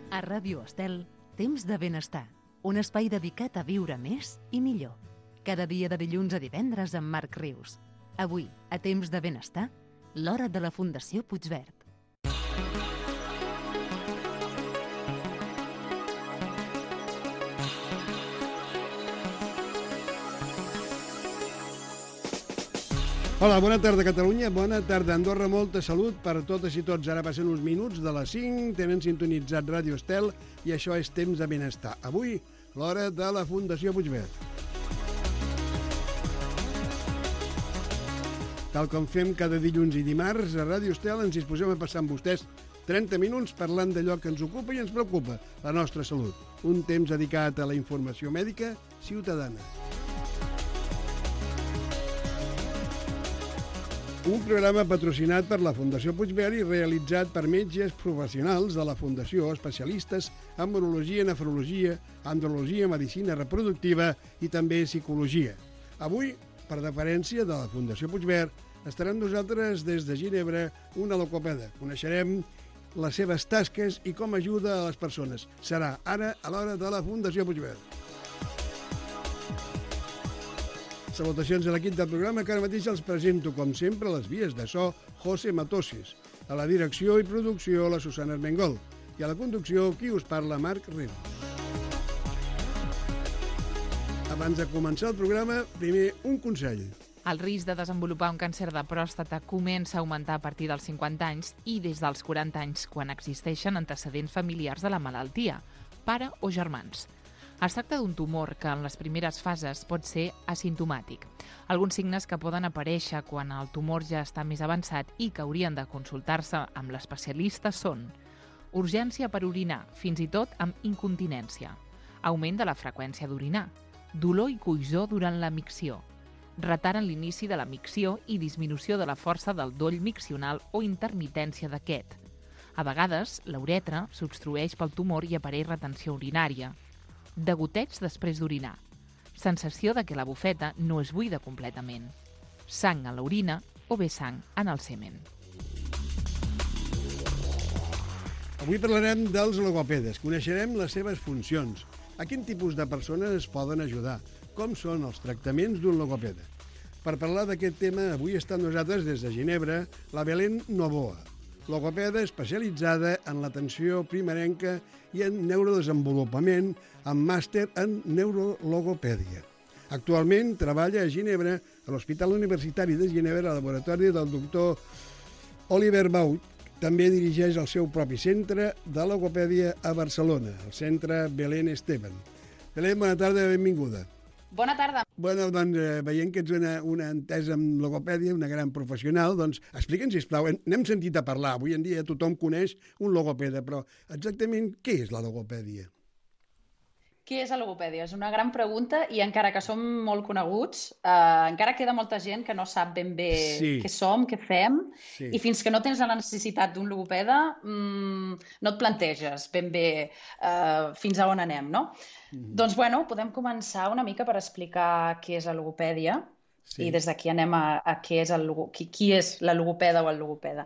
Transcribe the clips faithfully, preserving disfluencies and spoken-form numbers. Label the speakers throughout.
Speaker 1: A Ràdio Estel, Temps de Benestar, un espai dedicat a viure més i millor. Cada dia de dilluns a divendres amb Marc Rius. Avui, a Temps de Benestar, l'hora de la Fundació Puigverd.
Speaker 2: Hola, bona tarda Catalunya, bona tarda Andorra, molta salut per totes i tots. Ara passen uns minuts de les cinc, tenen sintonitzat Ràdio Estel i això és Temps de Benestar. Avui, l'hora de la Fundació Puigverd. Tal com fem cada dilluns i dimarts, a Ràdio Estel ens disposem a passar amb vostès trenta minuts parlant d'allò que ens ocupa i ens preocupa, la nostra salut. Un temps dedicat a la informació mèdica ciutadana. Un programa patrocinat per la Fundació Puigverd i realitzat per metges professionals de la Fundació, especialistes en urologia, nefrologia, andrologia, medicina reproductiva i també psicologia. Avui, per deferència de la Fundació Puigverd, estarà amb nosaltres des de Ginebra una logopeda. Coneixerem les seves tasques i com ajuda a les persones. Serà ara a l'hora de la Fundació Puigverd. Salutacions a l'equip del programa, que ara mateix els presento, com sempre, a les vies de so, José Matossis. A la direcció i producció, la Susana Armengol. I a la conducció, qui us parla, Marc Rius. Abans de començar el programa, primer un consell.
Speaker 3: El risc de desenvolupar un càncer de pròstata comença a augmentar a partir dels cinquanta anys i des dels quaranta anys, quan existeixen antecedents familiars de la malaltia, pare o germans. Es tracta d'un tumor que en les primeres fases pot ser asimptomàtic. Alguns signes que poden aparèixer quan el tumor ja està més avançat i que haurien de consultar-se amb l'especialista són urgència per orinar, fins i tot amb incontinència, augment de la freqüència d'orinar, dolor i coïssor durant la micció, retard en l'inici de la micció i disminució de la força del doll miccional o intermitència d'aquest. A vegades, la uretra s'obstrueix pel tumor i apareix retenció urinària, degoteig després d'orinar, sensació de que la bufeta no es buida completament, sang a l'orina o bé sang en el semen.
Speaker 2: Avui parlarem dels logopedes, coneixerem les seves funcions, a quin tipus de persones es poden ajudar, com són els tractaments d'un logopeda. Per parlar d'aquest tema, avui està amb nosaltres des de Ginebra la Belén Novoa, logopeda especialitzada en l'atenció primerenca i en neurodesenvolupament, amb màster en neurologopèdia. Actualment treballa a Ginebra, a l'Hospital Universitari de Ginebra, al laboratori del doctor Oliver Baut. També dirigeix el seu propi centre de logopèdia a Barcelona, el centre Belén Esteban. Belén, bona tarda i benvinguda.
Speaker 4: Bona tarda.
Speaker 2: Bueno, doncs, eh, veient que ets una, una entesa en logopèdia, una gran professional, doncs explica'ns, sisplau, n'hem sentit a parlar, avui en dia tothom coneix un logopeda, però exactament què és la logopèdia?
Speaker 4: Què és la logopèdia? És una gran pregunta i encara que som molt coneguts, eh, encara queda molta gent que no sap ben bé sí. què som, què fem, sí. I fins que no tens la necessitat d'un logopeda mmm, no et planteges ben bé eh, fins a on anem, no? Mm-hmm. Doncs, bueno, podem començar una mica per explicar què és la logopèdia sí. I des d'aquí anem a, a què és el, qui, qui és la logopeda o el logopeda.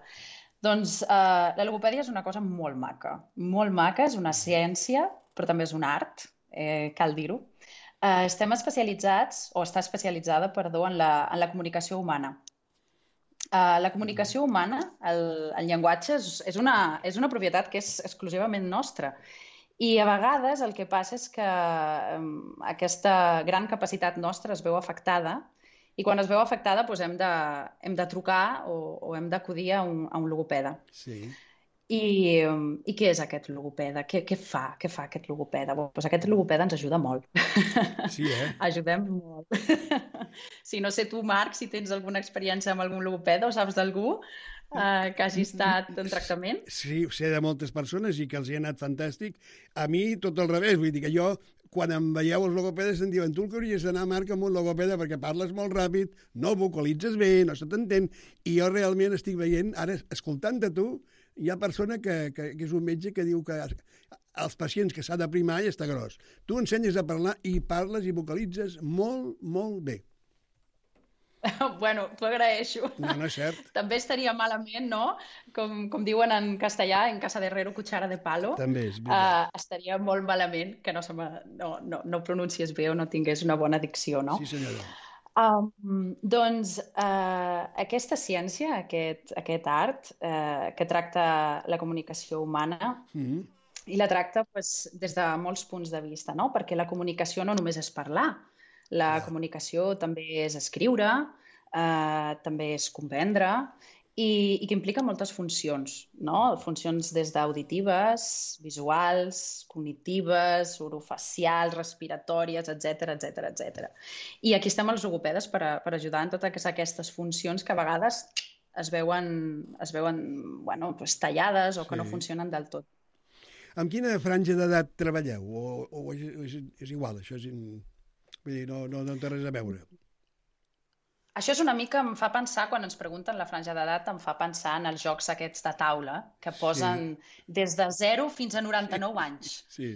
Speaker 4: Doncs eh, la logopèdia és una cosa molt maca, molt maca, és una ciència, però també és un art, eh, cal dir-ho. Eh, estem especialitzats, o està especialitzada, perdó, en la, en la comunicació humana. Uh, la comunicació humana, el, el llenguatge, és, és, una, és una propietat que és exclusivament nostra. I a vegades el que passa és que um, aquesta gran capacitat nostra es veu afectada i quan es veu afectada doncs hem, de, hem de trucar o, o hem d'acudir a, un, a un logopeda. Sí. I, um, I què és aquest logopeda? Què, què fa? Què fa aquest logopeda? Doncs aquest logopeda ens ajuda molt.
Speaker 2: Sí, eh?
Speaker 4: Ajudem molt. Si no sé tu, Marc, si tens alguna experiència amb algun logopeda o saps d'algú Uh, que hagi estat en tractament?
Speaker 2: Sí, sé de moltes persones i que els hi ha anat fantàstic. A mi, tot al revés. Vull dir que jo, quan em veieu els logopedes, em diuen tu el que hauries d'anar, Marc, amb un logopeda perquè parles molt ràpid, no vocalitzes bé, no se t'entén. I jo realment estic veient, ara, escoltant de tu, hi ha persona que, que, que és un metge que diu que els pacients que s'ha de primar i està gros. Tu ensenyes a parlar i parles i vocalitzes molt, molt bé.
Speaker 4: Bueno, t'ho agraeixo.
Speaker 2: No, no és cert.
Speaker 4: També estaria malament, no? Com, com diuen en castellà, en casa de herrero, cuchara de palo.
Speaker 2: També és veritat.
Speaker 4: Uh, estaria molt malament que no, se me, no, no, no pronuncies bé o no tingués una bona dicció, no?
Speaker 2: Sí, senyora.
Speaker 4: Um, doncs uh, aquesta ciència, aquest, aquest art, uh, que tracta la comunicació humana, mm-hmm. i la tracta pues, des de molts punts de vista, no? Perquè la comunicació no només és parlar, la ah. comunicació també és escriure, eh, també és comprendre, i, i que implica moltes funcions, no? Funcions des d'auditives, visuals, cognitives, orofacials, respiratòries, etcètera, etcètera, etcètera. I aquí estem els logopedes per, a, per ajudar en totes aquestes funcions que a vegades es veuen, es veuen bueno, pues, tallades o que sí. no funcionen del tot.
Speaker 2: Amb quina franja d'edat treballeu? O, o és, és igual? Això és, vull dir, no, no, no té res a veure.
Speaker 4: Això és una mica, em fa pensar, quan ens pregunten la franja d'edat, em fa pensar en els jocs aquests de taula, que posen sí. des de zero fins a noranta-nou sí. anys.
Speaker 2: Sí.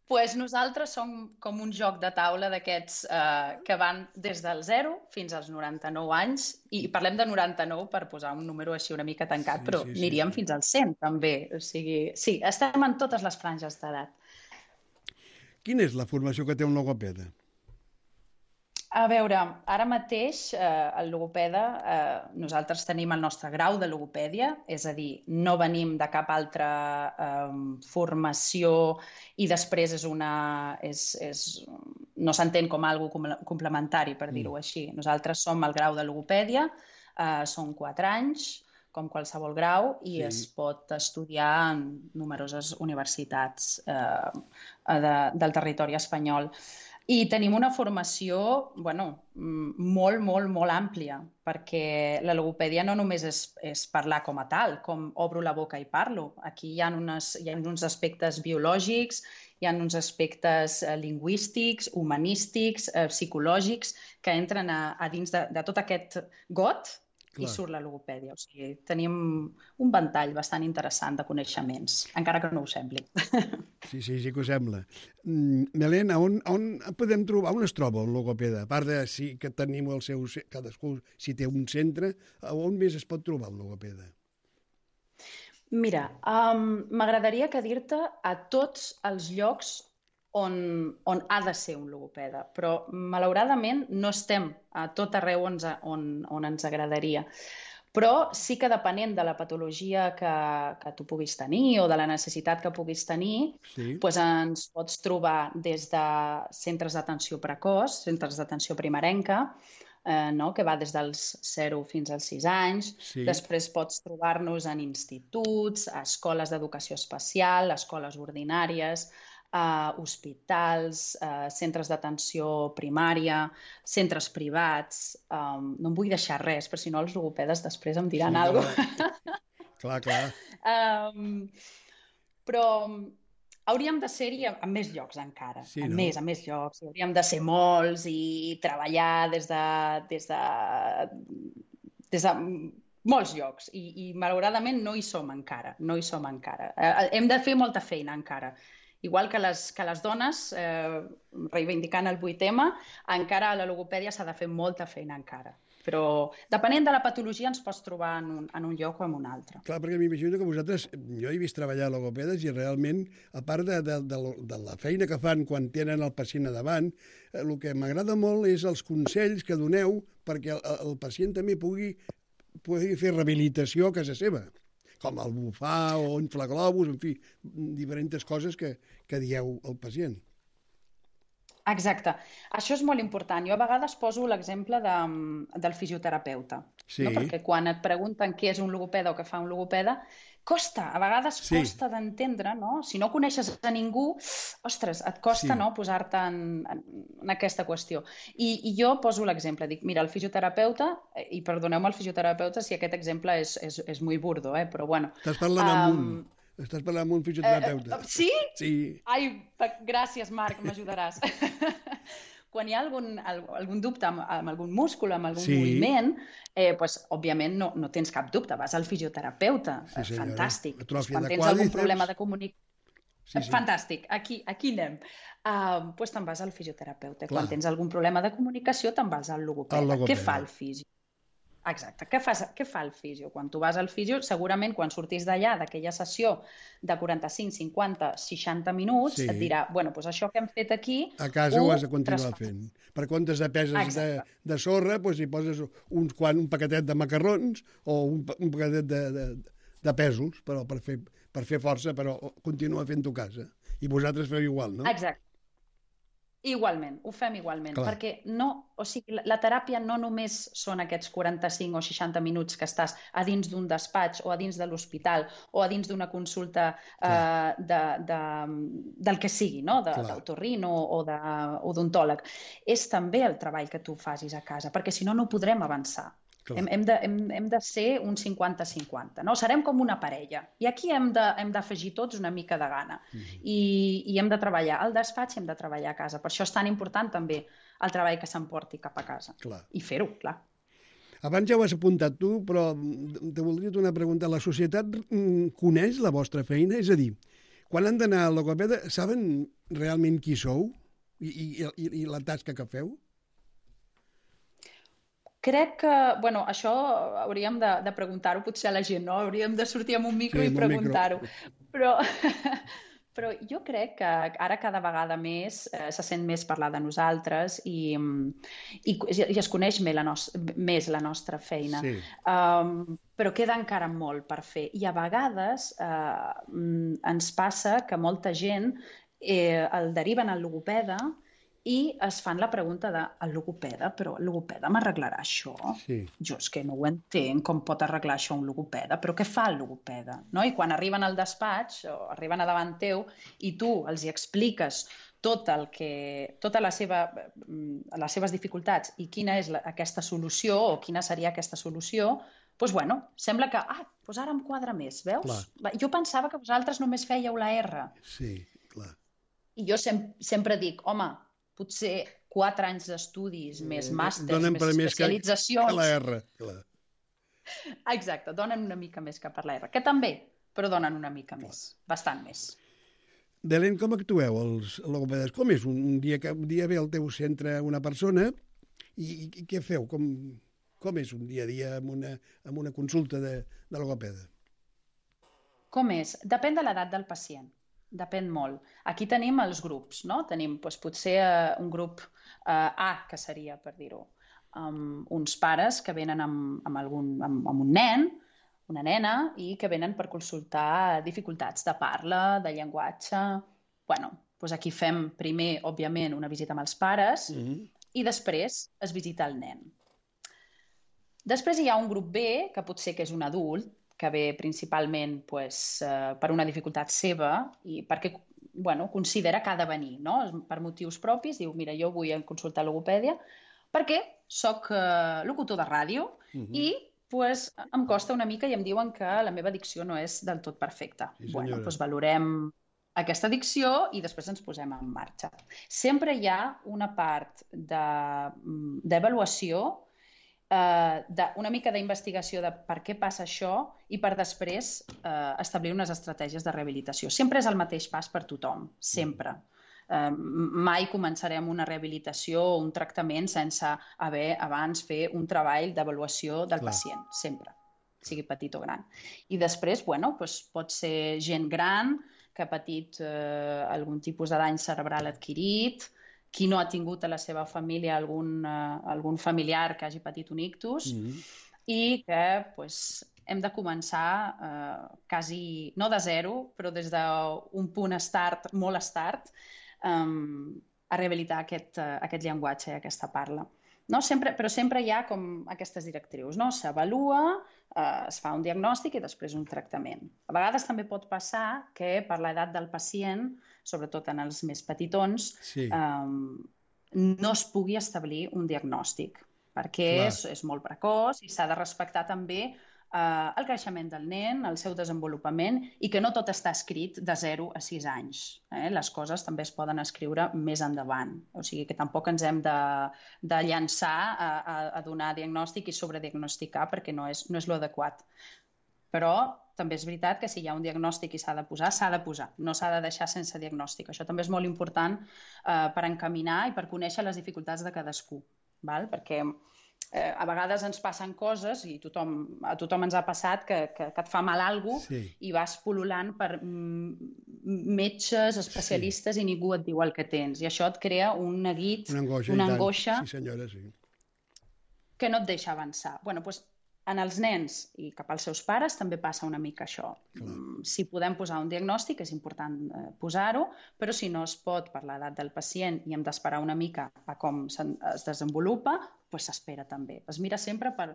Speaker 4: Pues nosaltres som com un joc de taula d'aquests eh, que van des del zero fins als noranta-nou anys, i parlem de noranta-nou per posar un número així una mica tancat, sí, però sí, aniríem sí, sí. fins als cent també. O sigui, sí, estem en totes les franges d'edat.
Speaker 2: Quina és la formació que té un logopeda?
Speaker 4: A veure, ara mateix eh, el logopeda, eh, nosaltres tenim el nostre grau de logopèdia, és a dir, no venim de cap altra eh, formació i després és una, és, és, no s'entén com algo complementari, per dir-ho mm. així. Nosaltres som el grau de logopèdia, eh, són quatre anys, com qualsevol grau, i sí. es pot estudiar en numeroses universitats eh, de, del territori espanyol. I tenim una formació, bueno, molt, molt, molt àmplia, perquè la logopèdia no només és, és parlar com a tal, com obro la boca i parlo. Aquí hi ha, unes, hi ha uns aspectes biològics, hi ha uns aspectes eh, lingüístics, humanístics, eh, psicològics, que entren a, a dins de, de tot aquest got. Clar. I surt la logopèdia. O sigui, tenim un ventall bastant interessant de coneixements, encara que no ho sembli.
Speaker 2: Sí, sí, sí que ho sembla. Mm, Helena, on, on podem trobar, on es troba un logopeda? A part de si que tenim el seu, cadascú, si té un centre, on més es pot trobar un logopeda?
Speaker 4: Mira, um, m'agradaria que dir-te a tots els llocs On, on ha de ser un logopeda, però malauradament no estem a tot arreu on, on, on ens agradaria. Però sí que depenent de la patologia que, que tu puguis tenir o de la necessitat que puguis tenir, sí. doncs ens pots trobar des de centres d'atenció precoç, centres d'atenció primerenca, eh, no? que va des dels zero fins als sis anys. Sí. Després pots trobar-nos en instituts, a escoles d'educació especial, escoles ordinàries, Uh, hospitals, uh, centres d'atenció primària, centres privats. Um, no em vull deixar res, però si no els logopedes després em diran sí, alguna cosa.
Speaker 2: Clar, clar.
Speaker 4: Um, però hauríem de ser-hi a, a més llocs encara. Sí, a no? més, a més llocs. Hauríem de ser molts i treballar des de... des de, des de molts llocs. I, i malauradament no hi som encara. No hi som encara. Uh, hem de fer molta feina encara. Igual que les, que les dones, eh, reivindicant el vuit ema, encara a la logopèdia s'ha de fer molta feina encara. Però depenent de la patologia ens pots trobar en un, en un lloc o en un altre.
Speaker 2: Clar, perquè m'imagino que vosaltres, jo he vist treballar logopedes i realment, a part de, de, de, de la feina que fan quan tenen el pacient a davant, eh, el que m'agrada molt és els consells que doneu perquè el, el pacient també pugui, pugui fer rehabilitació a casa seva, com el bufar o inflaglobus, en fi, diferents coses que, que dieu al pacient.
Speaker 4: Exacte. Això és molt important. Jo a vegades poso l'exemple de, del fisioterapeuta, sí. no? Perquè quan et pregunten què és un logopeda o què fa un logopeda, costa, a vegades sí. costa d'entendre, no? Si no coneixes a ningú, ostres, et costa sí. no, posar-te en, en, en aquesta qüestió. I, I jo poso l'exemple, dic, mira, el fisioterapeuta, i perdoneu-me el fisioterapeuta si aquest exemple és, és, és muy burdo, eh? Però bueno...
Speaker 2: Estàs parlant um, amb un... Estàs parlant amb un fisioterapeuta.
Speaker 4: Eh, sí?
Speaker 2: Sí.
Speaker 4: Ai, gràcies, Marc, m'ajudaràs. Quan hi ha algun, algun dubte amb, amb algun múscul, amb algun sí. moviment, eh, pues, òbviament no, no tens cap dubte, vas al fisioterapeuta. Sí, fantàstic. Quan tens algun problema de comunicació... Sí, sí. Fantàstic, aquí, aquí anem. Uh, pues te'n vas al fisioterapeuta. Clar. Quan tens algun problema de comunicació, te'n vas al logopeda. Què fa el fisio? Exacte. Què, fas, què fa el fisio? Quan tu vas al fisio, segurament quan sortis d'allà, d'aquella sessió de quaranta-cinc, cinquanta, seixanta minuts, sí. et dirà, bueno, doncs això que hem fet aquí...
Speaker 2: A casa ho has de continuar fent. Per comptes de peses de, de sorra, doncs hi poses uns, quan, un paquetet de macarrons o un, un paquetet de, de, de pèsols, però per fer, per fer força, però continua fent-ho a casa. I vosaltres feu igual, no?
Speaker 4: Exacte. Igualment, ho fem igualment, Clar. perquè no, o sigui, la teràpia no només són aquests quaranta-cinc o seixanta minuts que estàs a dins d'un despatx o a dins de l'hospital o a dins d'una consulta eh, de, de, del que sigui, no? D'autorrino o d'odontòleg. És també el treball que tu facis a casa, perquè si no, no podrem avançar. Hem, hem, de, hem, hem de ser un cinquanta cinquanta, no? Serem com una parella. I aquí hem d'afegir tots una mica de gana. Mm-hmm. I, I hem de treballar al despatx i hem de treballar a casa. Per això és tan important també el treball que s'emporti cap a casa.
Speaker 2: Clar.
Speaker 4: I fer-ho, clar.
Speaker 2: Abans ja ho has apuntat tu, però te voldria una pregunta. La societat coneix la vostra feina? És a dir, quan han d'anar al logopeda, saben realment qui sou i, i, i, i la tasca que feu?
Speaker 4: Crec que, bueno, això hauríem de, de preguntar-ho potser a la gent, no? Hauríem de sortir amb un micro sí, i preguntar-ho. Però, però jo crec que ara cada vegada més eh, se sent més parlar de nosaltres i, i, i es coneix més la, nos, més la nostra feina. Sí. Um, però queda encara molt per fer. I a vegades eh, ens passa que molta gent eh, el deriven al logopeda i es fan la pregunta de el logopeda, però el logopeda m'arreglarà això? Sí. Jo és que no ho entenc, com pot arreglar això un logopeda, però què fa el logopeda? No? I quan arriben al despatx o arriben a davant teu i tu els hi expliques tot el que, tota la seva, les seves dificultats i quina és la, aquesta solució o quina seria aquesta solució, doncs bueno, sembla que ah, doncs ara em quadra més, veus? Clar. Jo pensava que vosaltres només fèieu la R.
Speaker 2: Sí, clar.
Speaker 4: I jo sem sempre dic, home, potser quatre anys d'estudis, més màsters, més especialitzacions...
Speaker 2: Donen per més que la R, clar.
Speaker 4: Exacte, donen una mica més que per la R, que també, però donen una mica més, bastant més.
Speaker 2: Belén, com actueu els logopedes? Com és un dia que un dia ve al teu centre una persona i, i què feu? Com, com és un dia a dia amb una, amb una consulta de, de logopeda?
Speaker 4: Com és? Depèn de l'edat del pacient. Depèn molt. Aquí tenim els grups, no? Tenim doncs, potser uh, un grup uh, A, que seria, per dir-ho, um, uns pares que venen amb, amb, algun, amb, amb un nen, una nena, i que venen per consultar dificultats de parla, de llenguatge... Bueno, doncs aquí fem primer, òbviament, una visita amb els pares mm-hmm. i després es visita el nen. Després hi ha un grup B, que potser que és un adult, que ve principalment pues, eh, per una dificultat seva i perquè bueno, considera que ha de venir, no? Per motius propis, diu, mira, jo vull consultar logopèdia perquè soc eh, locutor de ràdio uh-huh. i pues, em costa una mica i em diuen que la meva dicció no és del tot perfecta. Sí, bueno, pues, valorem aquesta dicció i després ens posem en marxa. Sempre hi ha una part d'avaluació de, Uh, de, una mica d'investigació de per què passa això i per després uh, establir unes estratègies de rehabilitació. Sempre és el mateix pas per tothom, sempre. Uh, mai començarem una rehabilitació o un tractament sense haver abans fer un treball d'avaluació del Clar. pacient, sempre, sigui petit o gran. I després, bueno, doncs pot ser gent gran que ha patit uh, algun tipus de dany cerebral adquirit, qui no ha tingut a la seva família algun, uh, algun familiar que hagi patit un ictus mm-hmm. i que pues, hem de començar uh, quasi, no de zero, però des d'un punt start, molt start, um, a rehabilitar aquest, uh, aquest llenguatge i aquesta parla. No? Sempre, però sempre hi ha com aquestes directrius. No? S'avalua, uh, es fa un diagnòstic i després un tractament. A vegades també pot passar que per l'edat del pacient, sobretot en els més petitons, sí. um, no es pugui establir un diagnòstic, perquè és, és molt precoç i s'ha de respectar també uh, el creixement del nen, el seu desenvolupament, i que no tot està escrit de zero a sis anys. Eh? Les coses també es poden escriure més endavant. O sigui que tampoc ens hem de, de llançar a, a, a donar diagnòstic i sobrediagnosticar, perquè no és, no és l'adequat. Però també és veritat que si hi ha un diagnòstic i s'ha de posar, s'ha de posar. No s'ha de deixar sense diagnòstic. Això també és molt important eh, per encaminar i per conèixer les dificultats de cadascú. Val? Perquè eh, a vegades ens passen coses, i tothom, a tothom ens ha passat, que, que, que et fa mal alguna cosa, sí. I vas pol·lulant per mm, metges, especialistes, sí. I ningú et diu el que tens. I això et crea un neguit,
Speaker 2: una angoixa,
Speaker 4: una angoixa
Speaker 2: sí, senyora, sí.
Speaker 4: que no et deixa avançar. Bueno, doncs, en els nens i cap als seus pares també passa una mica això. Clar. Si podem posar un diagnòstic, és important eh, posar-ho, però si no es pot per l'edat del pacient i hem d'esperar una mica a com es desenvolupa, doncs s'espera també. Es mira sempre per,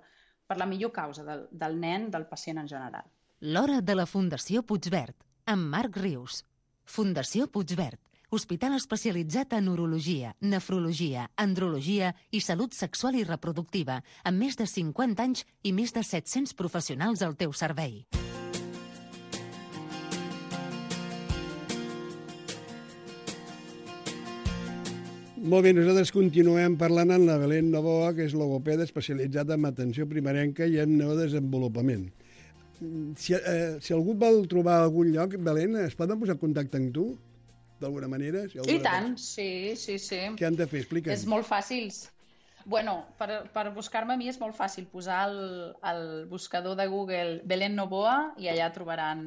Speaker 4: per la millor causa del, del nen, del pacient en general.
Speaker 1: L'hora de la Fundació Puigverd, amb Marc Rius. Fundació Puigverd, hospital especialitzat en urologia, nefrologia, andrologia i salut sexual i reproductiva, amb més de cinquanta anys i més de set-cents professionals al teu servei.
Speaker 2: Molt bé, nosaltres continuem parlant amb la Belén Novoa, que és logopeda especialitzada en atenció primerenca i en neurodesenvolupament. Si, eh, si algú vol trobar algun lloc, Belén, es poden posar en contacte amb tu? D'alguna manera? Si
Speaker 4: I tant, sí, sí, sí.
Speaker 2: Què han de fer? Explica'ns.
Speaker 4: És molt fàcil. Bueno, per, per buscar-me a mi és molt fàcil posar el, el buscador de Google Belén Novoa i allà trobaran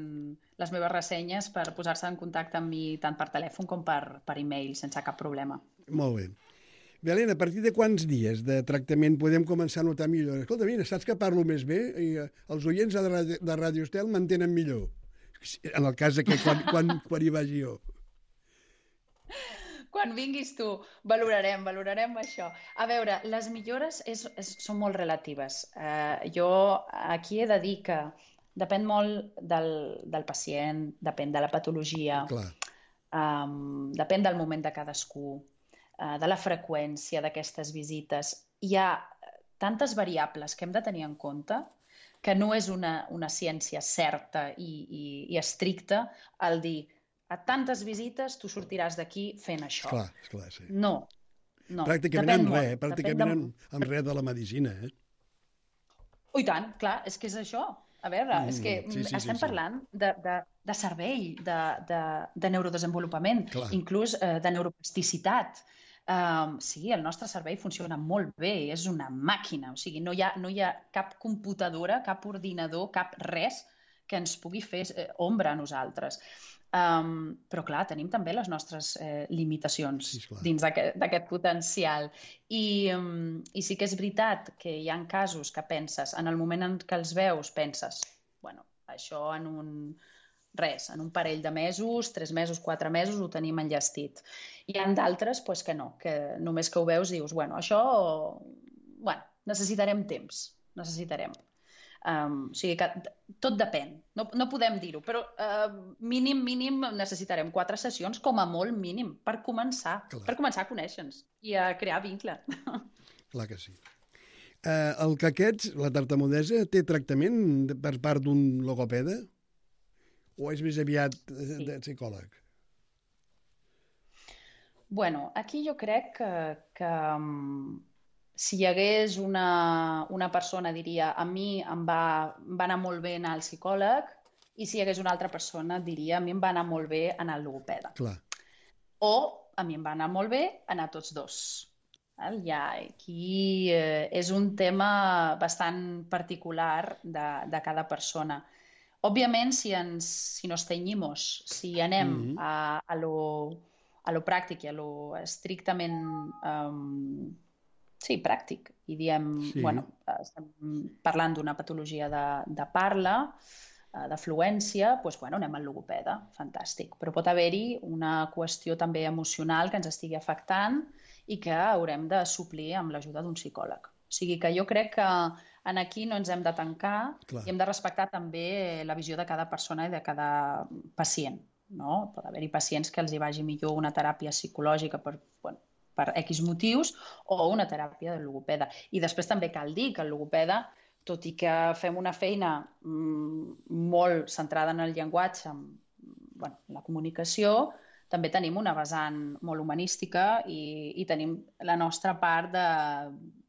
Speaker 4: les meves ressenyes per posar-se en contacte amb mi tant per telèfon com per, per e-mail, sense cap problema.
Speaker 2: Molt bé. Belén, a partir de quants dies de tractament podem començar a notar millor? Escolta, mira, saps que parlo més bé i els oients de Ràdio, de Ràdio Estel m'entenen millor. En el cas que quan, quan, quan hi vagi jo.
Speaker 4: Quan vinguis tu, valorarem, valorarem això. A veure, les millores és, és, són molt relatives. Uh, jo aquí he de dir que depèn molt del, del pacient, depèn de la patologia, um, depèn del moment de cadascú, uh, de la freqüència d'aquestes visites. Hi ha tantes variables que hem de tenir en compte que no és una, una ciència certa i, i, i estricta el dir a tantes visites tu sortiràs d'aquí fent això.
Speaker 2: Esclar, esclar, sí.
Speaker 4: No, no.
Speaker 2: Pràcticament en res, pràcticament en, en res de la medicina, eh?
Speaker 4: Oh, i tant, clar, és que és això. A veure, mm, és que sí, sí, estem sí, parlant sí. De, de, de cervell, de, de, de neurodesenvolupament, clar. Inclús eh, de neuroplasticitat. Um, sí, el nostre cervell funciona molt bé, és una màquina, o sigui, no hi ha, no hi ha cap computadora, cap ordinador, cap res que ens pugui fer eh, ombra a nosaltres. Um, però, clar, tenim també les nostres eh, limitacions sí, dins d'aquest potencial. I, um, I sí que és veritat que hi ha casos que penses, en el moment en què els veus, penses, bueno, això en un, res, en un parell de mesos, tres mesos, quatre mesos, ho tenim enllestit. Hi ha d'altres pues, que no, que només que ho veus dius, bueno, això, bueno, necessitarem temps, necessitarem. Um, o sigui que tot depèn, no, no podem dir-ho, però uh, mínim, mínim necessitarem quatre sessions com a molt mínim per començar, Clar. per començar a conèixer-nos i a crear vincle.
Speaker 2: Clar que sí. Uh, el caquets, la tartamudesa, té tractament per part d'un logopeda? O és més aviat sí. de psicòleg?
Speaker 4: Bueno, aquí jo crec que... que si hi hagués una, una persona, diria, a mi em va, em va anar molt bé anar al psicòleg, i si hi hagués una altra persona, diria, a mi em va anar molt bé anar al logopeda.
Speaker 2: Clar.
Speaker 4: O a mi em va anar molt bé anar tots dos. Ja, aquí eh, és un tema bastant particular de, de cada persona. Òbviament, si, ens, si nos tenyimos, si anem mm-hmm. a, a, lo, a lo pràctic i a lo estrictament... Um, Sí, pràctic. I diem, sí. bueno, estem parlant d'una patologia de, de parla, de fluència, doncs, bueno, anem al logopeda, fantàstic. Però pot haver-hi una qüestió també emocional que ens estigui afectant i que haurem de suplir amb l'ajuda d'un psicòleg. O sigui que jo crec que en aquí no ens hem de tancar Clar. I hem de respectar també la visió de cada persona i de cada pacient. No? Pot haver-hi pacients que els hi vagi millor una teràpia psicològica per... Bueno, per X motius, o una teràpia de logopeda. I després també cal dir que el logopeda, tot i que fem una feina mm, molt centrada en el llenguatge, en bueno, la comunicació, també tenim una vessant molt humanística i, i tenim la nostra part de,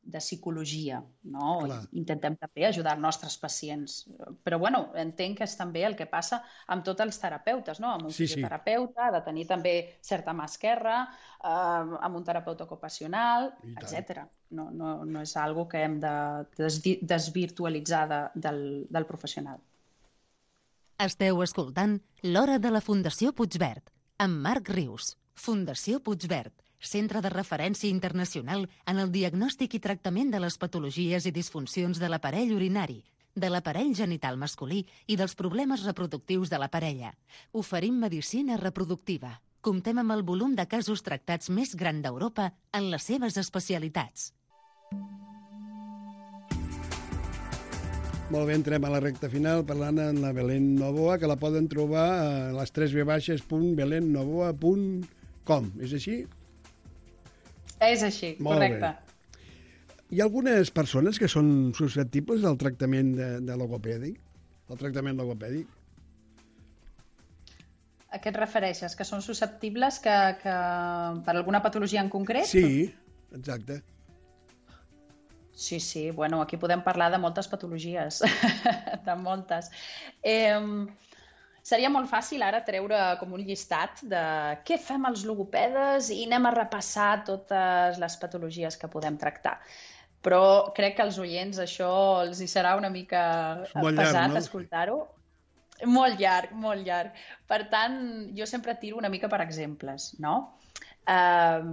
Speaker 4: de psicologia, no? Intentem també ajudar els nostres pacients. Però, bueno, entenc que és també el que passa amb tots els terapeutes, no? Amb un
Speaker 2: Sí, sí.
Speaker 4: fisioterapeuta, ha de tenir també certa mà esquerra, eh, amb un terapeuta ocupacional,
Speaker 2: I tant.
Speaker 4: etcètera. No, no, no és algo que hem de desdi- desvirtualitzar de, del, del professional.
Speaker 1: Esteu escoltant L'Hora de la Fundació Puigverd, amb Marc Rius. Fundació Puigverd, centre de referència internacional en el diagnòstic i tractament de les patologies i disfuncions de l'aparell urinari, de l'aparell genital masculí i dels problemes reproductius de la parella. Oferim medicina reproductiva. Comptem amb el volum de casos tractats més gran d'Europa en les seves especialitats.
Speaker 2: Molt bé, entrem a la recta final parlant amb la Belén Novoa, que la poden trobar a les tres ve baixes punt belén novoa punt com. És així?
Speaker 4: És així,
Speaker 2: Molt
Speaker 4: correcte.
Speaker 2: Bé. Hi ha algunes persones que són susceptibles al tractament de, de logopèdic? Al tractament logopèdic?
Speaker 4: A què et refereixes? Que són susceptibles que, que per alguna patologia en concret?
Speaker 2: Sí, exacte.
Speaker 4: Sí, sí, bueno, aquí podem parlar de moltes patologies, de moltes. Eh, seria molt fàcil ara treure com un llistat de què fem els logopedes i anem a repassar totes les patologies que podem tractar. Però crec que als oients això els hi serà una mica
Speaker 2: molt
Speaker 4: pesat,
Speaker 2: llarg, no?
Speaker 4: Escoltar-ho. Molt llarg, molt llarg. Per tant, jo sempre tiro una mica per exemples, no? Eh,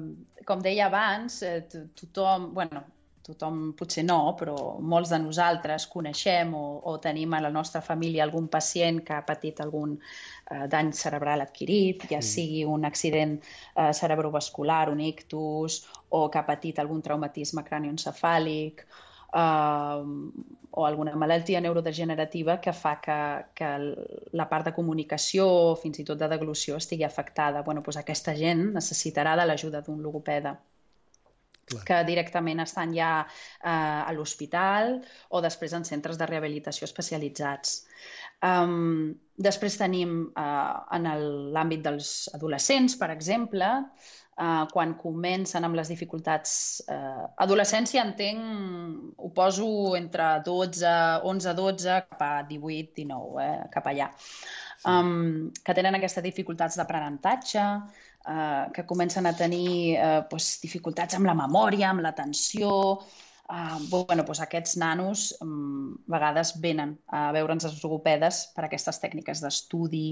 Speaker 4: com deia abans, eh, tothom... Bueno, tothom potser no, però molts de nosaltres coneixem o, o tenim a la nostra família algun pacient que ha patit algun eh, dany cerebral adquirit, ja
Speaker 2: Sí.
Speaker 4: sigui un accident eh, cerebrovascular, un ictus, o que ha patit algun traumatisme cranioencefàlic, eh, o alguna malaltia neurodegenerativa que fa que, que la part de comunicació, fins i tot de deglució, estigui afectada. Bueno, doncs aquesta gent necessitarà de l'ajuda d'un logopeda.
Speaker 2: Clar.
Speaker 4: Que directament estan ja eh, a l'hospital o després en centres de rehabilitació especialitzats. Um, després tenim uh, en l'àmbit dels adolescents, per exemple, uh, quan comencen amb les dificultats... Uh, adolescència, entenc, ho poso entre dotze, onze, dotze, cap a divuit, dinou, eh, cap allà. Um, que tenen aquestes dificultats d'aprenentatge, Uh, que comencen a tenir uh, pues, dificultats amb la memòria, amb l'atenció. Uh, bueno, pues aquests nanos um, a vegades venen a veure'ns els logopedes per aquestes tècniques d'estudi.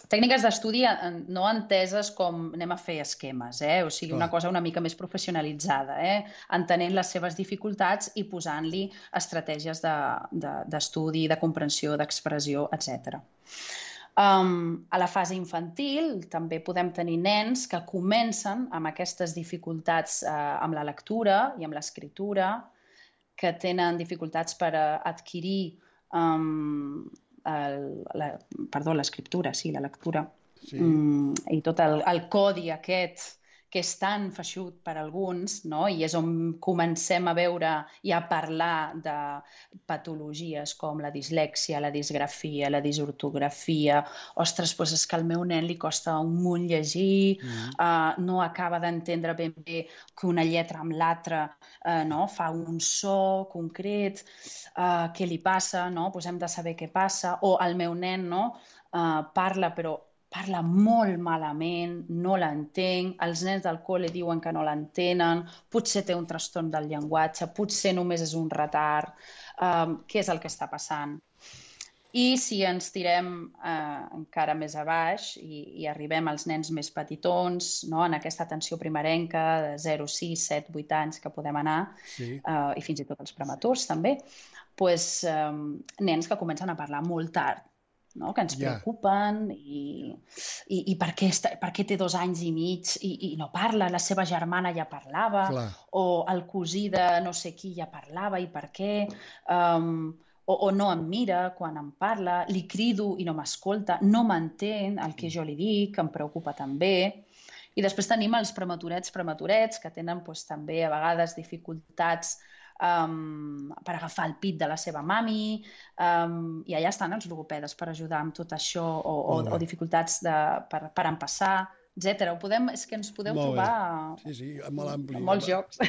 Speaker 4: Tècniques d'estudi no enteses com anem a fer esquemes, eh? O sigui, una cosa una mica més professionalitzada, eh? Entenent les seves dificultats i posant-li estratègies d'estudi, de, de, de comprensió, d'expressió, etcètera. Um, a la fase infantil també podem tenir nens que comencen amb aquestes dificultats uh, amb la lectura i amb l'escriptura, que tenen dificultats per uh, adquirir um, el, la, perdó, l'escriptura, sí, la lectura,
Speaker 2: Sí.
Speaker 4: um, i tot el, el codi aquest que és tan feixut per alguns, no? I és on comencem a veure i a parlar de patologies com la dislèxia, la disgrafia, la disortografia. Ostres, doncs és que al meu nen li costa un munt llegir, mm. uh, no acaba d'entendre ben bé que una lletra amb l'altra uh, no? Fa un so concret, uh, què li passa, no? Pues hem de saber què passa. O el meu nen no? uh, parla, però parla molt malament, no l'entenc, els nens del col·le diuen que no l'entenen, potser té un trastorn del llenguatge, potser només és un retard, um, què és el que està passant? I si ens tirem eh, encara més a baix i, i arribem als nens més petitons, no? En aquesta atenció primerenca de zero, sis, set, vuit anys que podem anar, sí. eh, i fins i tot els prematurs també, pues, eh, nens que comencen a parlar molt tard, no? Que ens preocupen yeah. i, i, i per, què està, per què té dos anys i mig i, i no parla, la seva germana ja parlava, Clar. O el cosí de no sé qui ja parlava i per què, um, o, o no em mira quan em parla, li crido i no m'escolta, no m'entén el que jo li dic, em preocupa també. I després tenim els prematurets, prematurets, que tenen doncs, també a vegades dificultats Um, per agafar el pit de la seva mami, um, i allà estan els logopedes per ajudar amb tot això, o, o, o dificultats de, per, per empassar, etcètera. Ho podem, és que ens podeu
Speaker 2: Molt
Speaker 4: trobar
Speaker 2: sí, sí, molt ampli.
Speaker 4: en molts llocs.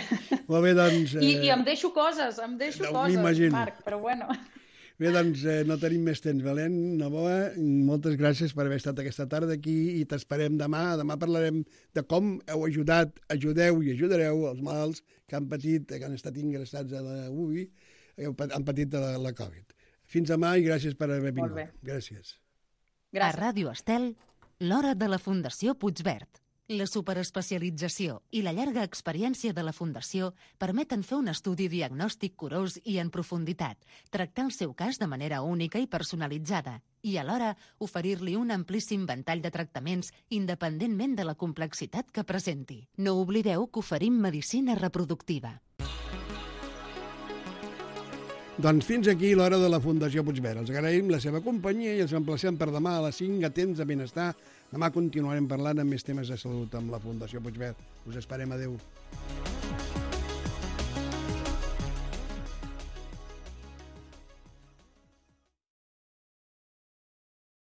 Speaker 2: Molt bé, doncs...
Speaker 4: I, I em deixo coses, em deixo
Speaker 2: no,
Speaker 4: coses, Marc, però bueno...
Speaker 2: Bé, doncs eh, no tenim més temps. Belén, Novoa, moltes gràcies per haver estat aquesta tarda aquí i t'esperem demà. Demà parlarem de com heu ajudat, ajudeu i ajudareu els malalts que han patit, que han estat ingressats a la U B I, han patit de la, la Covid. Fins demà i gràcies per haver vingut.
Speaker 4: Molt bé.
Speaker 2: Gràcies.
Speaker 1: Gràcies. A Ràdio Estel, l'hora de la Fundació Puigverd. La superespecialització i la llarga experiència de la Fundació permeten fer un estudi diagnòstic curós i en profunditat, tractar el seu cas de manera única i personalitzada i, alhora, oferir-li un amplíssim ventall de tractaments independentment de la complexitat que presenti. No oblideu que oferim medicina reproductiva.
Speaker 2: Doncs fins aquí l'hora de la Fundació Puigverd. Els agraïm la seva companyia i els emplacem per demà a les cinc a temps de benestar. Demà continuarem parlant amb més temes de salut amb la Fundació Puigverd. Us esperem. Adéu.